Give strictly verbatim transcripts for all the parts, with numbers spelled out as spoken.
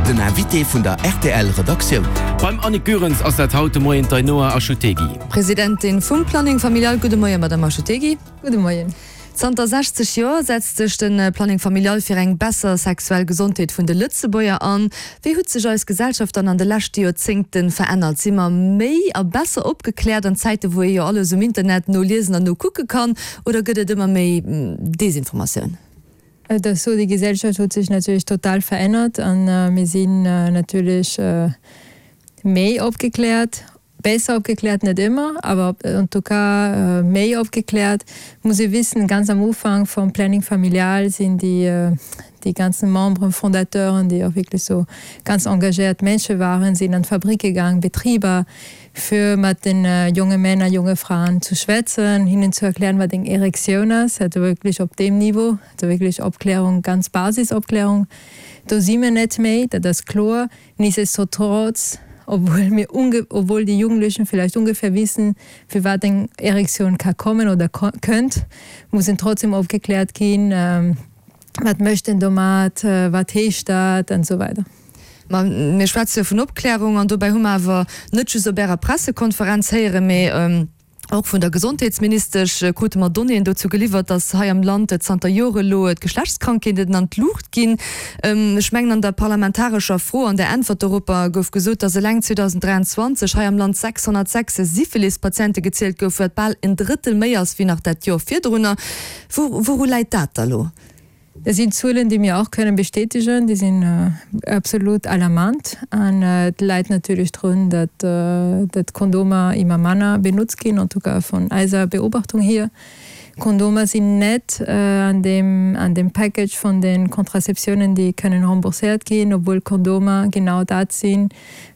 Den Invité vun der R T L Redaktioun. Beim Annick Goerens ass dat haut de Moien d'Ainhoa Achutegui. Presidentin vum Planning Familial. Gudde Moien, Madame Achutegui. Gudde Moien. Zanter sechzeg Joer setzt sech de Planning Familial fir eng besser sexuell Gesondheet vun de Lëtzebuerger an. Wéi huet sech eis Gesellschaft dann an de leschte Joerzéngte verännert? Si mer méi a besser opgekläert an Zäite wou ee jo alles um Internet noliesen an nokucke kann, oder gëtt et ëmmer méi Desinformatioun? Et ass sou, déi Gesellschaft huet sech natierlech total verännert an mir sinn natierlech méi opgekläert, besser opgekläert, net ëmmer, awer en tout cas méi opgekläert. Muss ee wissen, ganz am Ufank vum Planning Familial sinn déi déi ganzen Membres fondateuren, déi och wierklech sou ganz engagéiert Mënsche waren, sinn an d'Fabricke gaang, Betriber, fir mat den jonge Männer, jonge Fraen zu schwätzen, hinnen zu erklären, wat eng Erektioun ass, also wierklech op deem Niveau, also wierklech Opklärung, ganz Basisopklärung. Do si mir net méi, dat ass kloer. Nichtsdestotrotz, obwuel mir unge obwuel déi Jugendlichen vielleicht ungefähr wissen, firwat eng Erektioun ka kommen oder kënnt, mussen trotzdem opgekläert ginn, wat mécht en domat, wat heescht dat an esou weider. Ma mir schwätze jo vun Opklärung an dobäi hu mer awer net just op Ärer Pressekonferenz héieren, mee och vun der Gesondheetsministesch krute mer Donnéeën dozou geliwwert, datt hei am Land zanter Jore elo d'Geschlechtskrankheeten an d'Luucht ginn. Ech mengen an der parlamentarescher Fro, an der Äntwert doropper gouf gesot, datt eleng zweedausenddräianzwanzeg hei am Land sechshonnertsechs Syphilis-Patiente gezielt goufen, wat bal en Drëttel méi ass wéi nach dat Joer virdrunner. Wouru läit dat da lo? Dat sinn Zuelen, déi mir och kënnen bestätegen. Déi sinn absolut alarmant. An et läit natierlech drun, datt datt Kondomer ëmmer manner benotzt ginn, en tout cas vun eiser Beobachtung hier. Kondomer sinn net an deem an deem Package vun de Contraceptiounen, déi kënnen rembourséiert ginn, obwuel Kondomer genau dat sinn,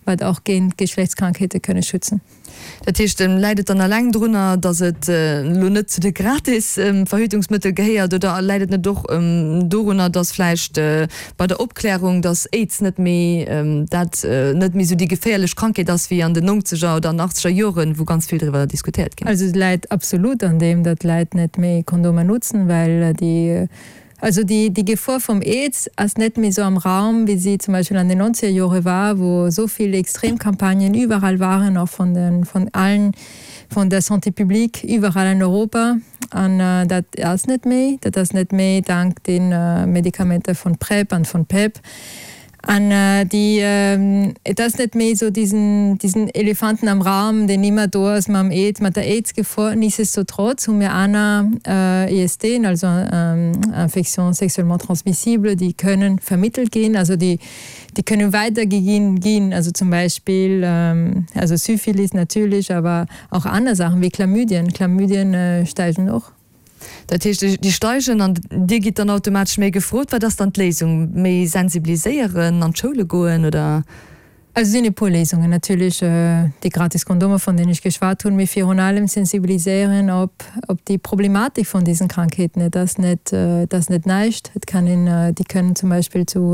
wat och géint Geschlechtskrankheete kënne schützen. Dat heescht, läit et dann eleng drunner, datt et elo net zu de gratis Verhütungsmëttel gehéiert, oder läit et net och dorunner, datt vläicht bei der Opklärung, datt Aids net méi dat net méi esou déi geféierlech Krankheet ass wéi an den nonzeger oder an achtzeger Joren, wou ganz vill driwwer diskutéiert ginn ass? Also et läit absolut an deem, datt d'Leit net méi Kondomer notzen, well déi Also déi, déi Gefor vum Aids ass net méi sou am Raum, wéi si zum Beispill an den nonzeger Jore war, wou esou vill Extremkampagnen iwwerall waren, och vun den, vun allen, vun der Santé publique iwwerall an Europa. An dat ass net méi. Dat ass net méi dank de Medikamenter vun PrEP an vun PEP. An déi, et ass net méi esou diesen, diesen Elefanten am Raum, deen ëmmer do ass mam Aids, mat der Aids-Gefor. Nichtsdestotrotz hu mir aner I S T, also Infections sexuellement transmissibles, déi kënnen vermittelt ginn, also déi, déi kënnen weidergeginn ginn, also zum Beispill, also Syphilis natierlech, awer och aner Saachen wéi Chlamydien. Chlamydien steigen och. Dat heescht, déi steigen an Dir gitt dann automatesch méi gefrot. Wat ass dann d'Léisung? Méi sensibiliséieren, an d'Schoule goen oder? Also et sinn e puer Léisungen. Natierlech déi gratis Kondomer, vun deenen ech geschwat hunn, mee virun allem sensibiliséieren op op déi Problematik vun diesen Krankheeten. Et ass net, et ass net näischt. Et kann een, déi kënnen zum Beispill zu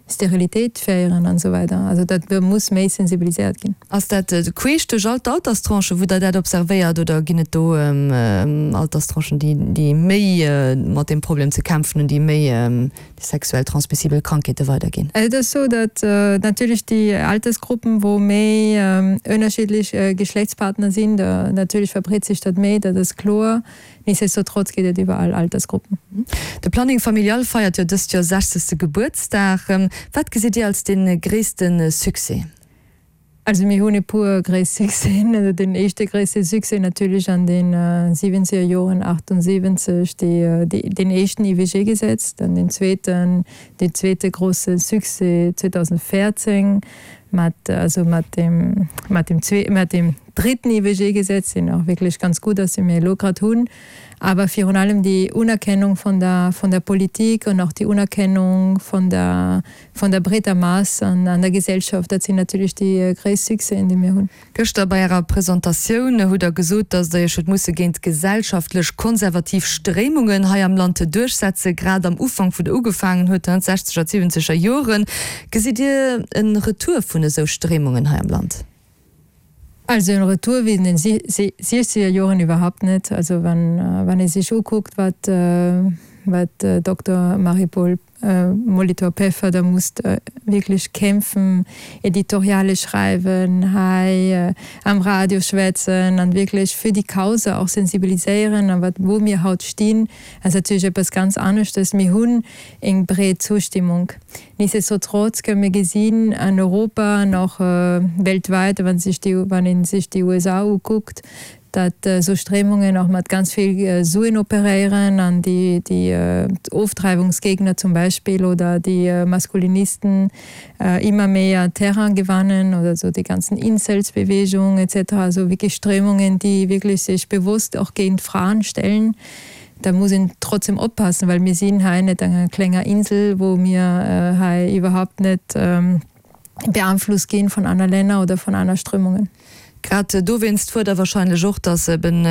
Sterilitéit féieren an esou weider. Also dat muss méi sensibiliséiert ginn. Ass dat queesch duerch all d'Alterstranchen, wou Der dat observéiert, oder ginn et do Alterstranchen, déi déi méi mat deem Problem ze kämpfen hunn, déi méi déi sexuell transmissibel Krankheete weiderginn? Et ass esou, datt natierlech déi Altersgruppen, wou méi ënnerschiddlech Geschlechtspartner sinn, da natierlech verbreet sech dat méi, dat ass kloer. Nichtsdestotrotz geet et iwwer all Altersgruppen. De Planning Familial feiert jo dëst Joer sechzegste Gebuertsdag. Wat gesitt Dir als dee gréisste Succès? Also mir hunn e puer gréiss Succèsen. Also den éischte gréisse Succès natierlech an den siwwenzeger Joren, achtundsiwwenzeg, déi, deen éischten I W G-Gesetz, dann den zweeten, deen zweete grosse Succès zweedausendvéierzéng mat, also mat dem, mat dem zwee, mat dem dritten I W G-Gesetz, deen och wierklech ganz gutt ass, dee mir elo grad hunn. Awer virun allem déi Unerkennung vun der, vun der Politik an och déi Unerkennung vun der, vun der breeter Mass an, an der Gesellschaft, dat sinn natierlech déi gréisst Succèsen, déi mir hunn. Gëschter bei Ärer Presentatioun hutt Der gesot, datt Der Iech hutt musse géint gesellschaftlech konservativ Stréimungen hei am Land duerchsetzen, grad am Ufank, wou Der ugefaangen hutt, d'sechzeger, d'siwwenzeger Joren. Gesitt Dir e Retour vun esou Stréimungen hei am Land? Also en Retour wéi in den siechzeger Joren iwwerhaapt net. Also wann, wann ee sech ukuckt, wat, wat Dokter Marie-Paule Molitor-Peffer da musst wierklech kämpfen, Editoriale schreiwen, hei am Radio schwätzen an wierklech fir déi Cause och sensibiliséieren a wat wou mir haut stinn, ass natierlech eppes ganz aneschtes. Mir hunn eng breet Zustimmung. Nichtsdestotrotz kënne mir gesinn an Europa an och weltweit, wann sech déi, wann ee sech déi U S A ukuckt, datt esou Stréimungen och mat ganz vill Suen operéieren an déi, déi Ofdreiwungsgegner zum Beispill oder déi Maskulinisten immer méi an Terrain gewannen oder so déi ganzen Incels-Bewegung et cetera, also wierklech Stréimungen, déi wierklech sech bewusst och géint Fraen stellen. Da muss een trotzdem oppassen, well mir sinn hei net an enger klenger Insel, wou mir hei iwwerhaupt net beeinflusst ginn vun aner Länner oder vun aner Strömungen. Grad dowéinst fuert Der wahrscheinlech och, dass eben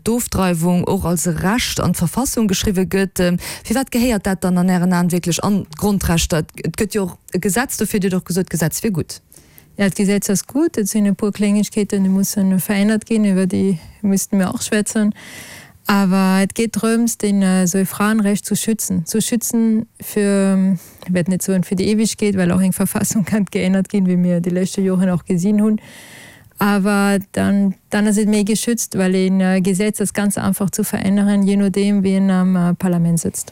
d'Ofdreiwung och als Recht an d'Verfassung geschriwwe gëtt. Firwat gehéiert dat dann an Ären Aen wierklech an d'Grondrechter? Et gëtt jo och e Gesetz dofir, Dir hutt och gesot, d'Gesetz wier gutt. Ja, d'Gesetz ass gutt. Et sinn e puer Klengegkeeten, déi mussen verännert ginn, iwwer déi müssten mir och schwätzen. Awer et geet drëms, den esou e Frauenrecht zu schützen. Zu schützen fir, ich werd net soen fir déi Ewegkeet, well och eng Verfassung kann geännert ginn, wéi mir déi leschte Joren och gesinn hunn. Awer dann, dann ass et méi geschützt, well een Gesetz ass ganz einfach zu veränneren, je nodeem wien am Parlament sëtzt.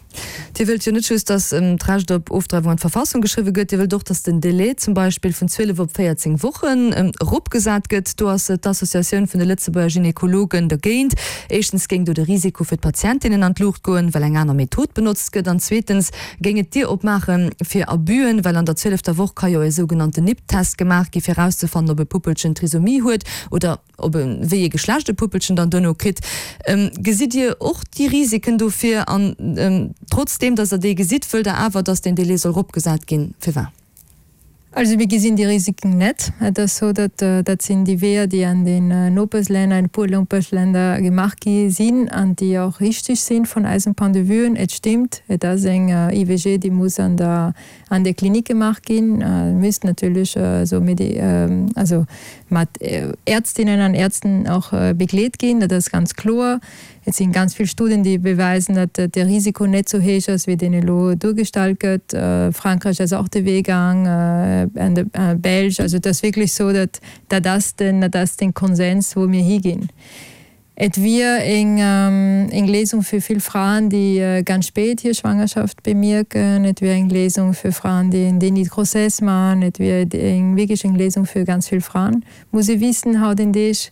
Dir wëllt jo net just, dass d'Recht op Ofdreiwung an d'Verfassung geschriwwe gëtt, Dir wëllt och, dass den Délai zum Beispill vun zwielef op véierzéng Wochen eropgesat gëtt. Do ass d'Associatioun vun de Lëtzebuerger Gynekologen dergéint. Éischtens géing do de Risiko fir d'Patientinnen an d'Luucht goen, well eng aner Method benotzt gëtt. An zweetens géing et d'Dier opmaache fir Abüen, well an der zwielefter Woch ka jo e sougenannten N I P T-Test gemaach gi fir erauszefannen, ob e Puppelchen Trisomie huet oder ob e wéi e Geschlecht e Puppelchen dann duerno kritt. Gesitt Dir och déi Risiken dofir an trotzdem, dass Der déi gesitt, wëllt Der awer, dass den Délai soll eropgesat ginn? Firwat? Also mir gesinn déi Risiken net. Et ass sou, datt dat sinn déi Weeër, déi an den Nopeschlänner, an e puer Nopeschländer gemaach gi sinn an déi och richteg sinn vun eisem Point de vue. Et stimmt, et ass eng I V G, déi muss an der, an der Klinik gemaach ginn. Misst natierlech sou medi-, also mat Ärztinnen an Ärzten och begleet ginn, dat ass ganz kloer. Et sinn ganz vill Studien, déi beweisen, datt de Risiko net sou héich ass, wéi deen elo duergestallt gëtt. Frankräich ass och de Wee gaang, an de Belsch. Also dat ass wierklech sou, datt dat ass den, dat ass den Konsens, wou mir higinn. Et wier eng, eng Léisung fir vill Fraen, déi ganz spät hir Schwangerschaft bemierken. Et wier eng Léisung fir Fraen, déi en Déni de grossesse maachen. Et wier eng, wierklech eng Léisung fir ganz vill Fraen. Muss ee wissen, haut en Deeg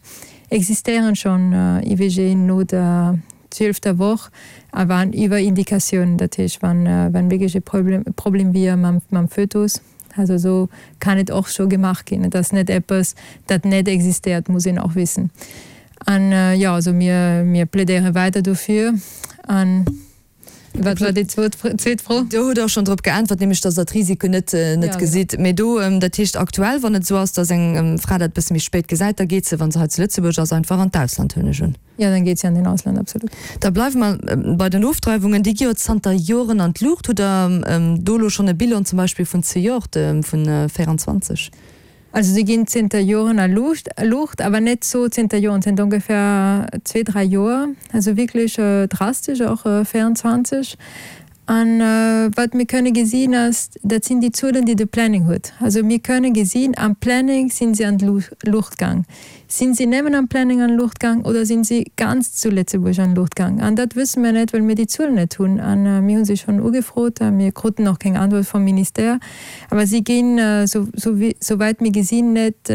existéieren schonn I V G no der zwielfter Woch, awer iwwer Indikatiounen, dat heescht, wann, wann wierklech e Problem, Problem wier mam, mam Fötus. Also so kann et och scho gemaach ginn. Et ass net eppes, dat net existéiert, muss een och wissen. An, jo, also mir, mir plädéiere weider dofir. An wat war déi zweet Fro? Zweet Fro? Do hutt Der och schonn drop geäntwert, nämlech datt Der d'Risiko net, net Ja, gesitt. genau. Mee do, dat heescht aktuell, wann et esou ass, datt eng Fra dat e bësse méi spéit gesäit, da geet se, wa se hei zu Lëtzebuerg ass, einfach an d'Ausland, hunn ech un. Ja, dann geet se an den Ausland, absolut. Da bleiwe mer bei den Ofdreiwungen. Déi gi jo zanter Joren an d'Luucht. Hutt Der do elo schonn e Bilan zum Beispill vun zejoert, vun véierundzwanzeg? Also si ginn zënter Joren a Luucht, Luucht, awer net sou zënter Joren, zënter ongefähr zwee, dräi Joer. Also wierklech drastesch, och véierundzwanzeg. An wat mir kënne gesinn ass, dat sinn déi Zuelen, déi de Planning huet. Also mir kënne gesinn, am Planning sinn se an d'Luucht gaang. Sinn se nëmmen am Planning an d'Luucht gaang oder sinn se ganz zu Lëtzebuerg an d'Luucht gaang? An dat wësse mir net, well mir déi Zuelen net hunn. An mir hunn se schonn ugefrot, a mir kruten och keng Antwort vum Ministère. Awer si ginn, sou, sou wéi, souwäit mir gesinn, net,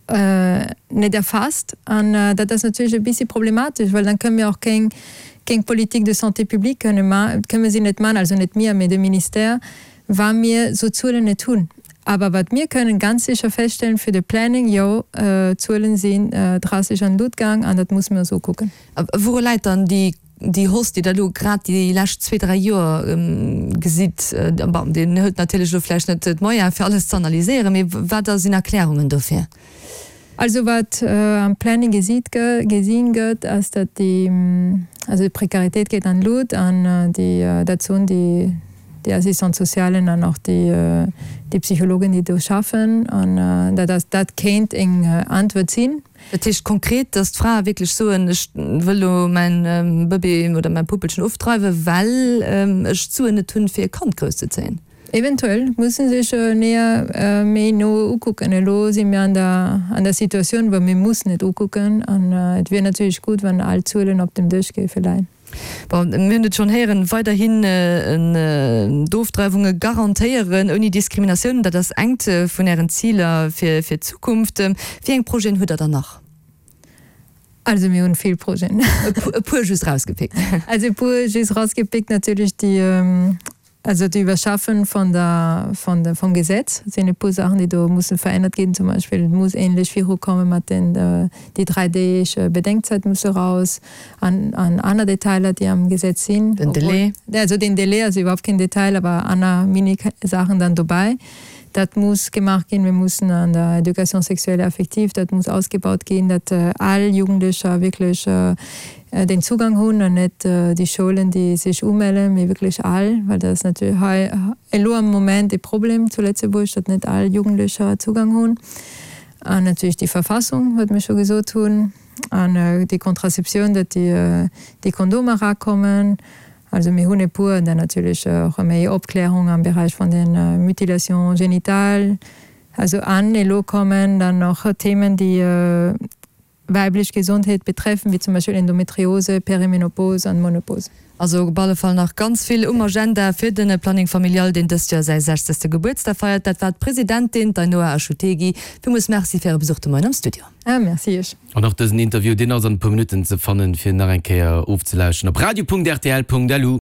net erfasst. An dat ass natierlech e bissi problematesch, well dann kënne mir och keng, keng Politique de santé publique kënne ma-, kënne mir si net man, also net mir, mee de Ministère, wa mir sou Zuelen net hunn. Awer wat mir kënnen ganz sicher feststellen fir de Planning, jo, d'Zuelen sinn drastesch an d'Lut gaang an dat musse mir ons ukucken. A wouru läit dann déi, déi Hausse, déi Der elo grad déi lescht zwee, dräi Joer gesitt? Bon, Dir hutt natierlech elo vläicht net d'Moyene fir alles ze analyséieren, mee wat sinn Erklärungen dofir? Also wat am Planning gesitt gë-, gesinn gëtt, ass, datt déi, also d'Prekaritéit geet an d'Lut an déi, dat soen déi, déi Assistante-socialen an och déi, déi Psychologen, déi do schaffen. An dat ass, dat kéint eng Äntwert sinn. Dat heescht konkret, dass d'Frae wierklech soen, ech wëll elo mäin Bëbee oder mäi Puppelchen ofdreiwen, well ech d'Suen net hunn, fir e Kand grousszezéien? Eventuell muss se sech näher, méi no ukucken. Elo si mir an der, an der Situatioun, wou mir mussen et ukucken. An et wier natierlech gutt, wann all Zuelen op dem Dësch géife leien. Bon, mir hunn et schonn héieren, weiderhin d'Ofdreiwunge garantéieren ouni Diskriminatioun, dat ass engt vun Ären Ziler fir d'Zukunft. Wéi eng Projeten hutt Der dann nach? Also mir hunn vill Projeten. E puer just rausgepickt. Also e puer just rausgepickt, natierlech déi, also d'Iwwerschaffen von der, von der, vum Gesetz sinn e puer Saachen, déi do musse verännert ginn. Zum Beispill, et muss ähnlech virukomme mat den, déi dräi Deeg Bedenkzäit musse raus an, an aner Detailer, déi am Gesetz sinn. Den Delai. Also den Delai ass iwwerhaupt keen Detail, awer aner Mini-Saachen dann dobäi. Dat muss gemaach ginn. Mir mussen an der Éducation sexuelle et affective, dat muss ausgebaut ginn, datt all Jugendlecher wierklech den Zugang hunn an net déi Schoulen, déi sech umellen, mee wierklech all, well dat ass natierlech hei elo am Moment e Problem zu Lëtzebuerg, datt net all Jugendlecher Zugang hunn. An natierlech déi Verfassung, wat mir scho gesot hunn, an déi Contraceptioun, datt déi Kondomer erakommen. Also mir hunn e puer, an dann natierlech och méi Opklärung am Beräich vun de Mutilations génitales. Also an elo kommen dann och Themen, déi weiblech Gesondheet betreffen, wéi zum Beispill Endometriose, Perimenopause an Monopause. Also op alle Fall nach ganz vill um Agenda fir de Planning Familial, deen dëst Joer säi sechzegste Gebuertsdag feiert. Dat war d'Presidentin, d'Ainhoa Achutegui. Villmools Merci fir Äre Besuch de Moien am Studio. Ah, merci Iech. An och dësen Interview, deen ass an e puer Minutten ze fannen, fir nach eng Kéier ofzelauschten op radio.rtl.lu.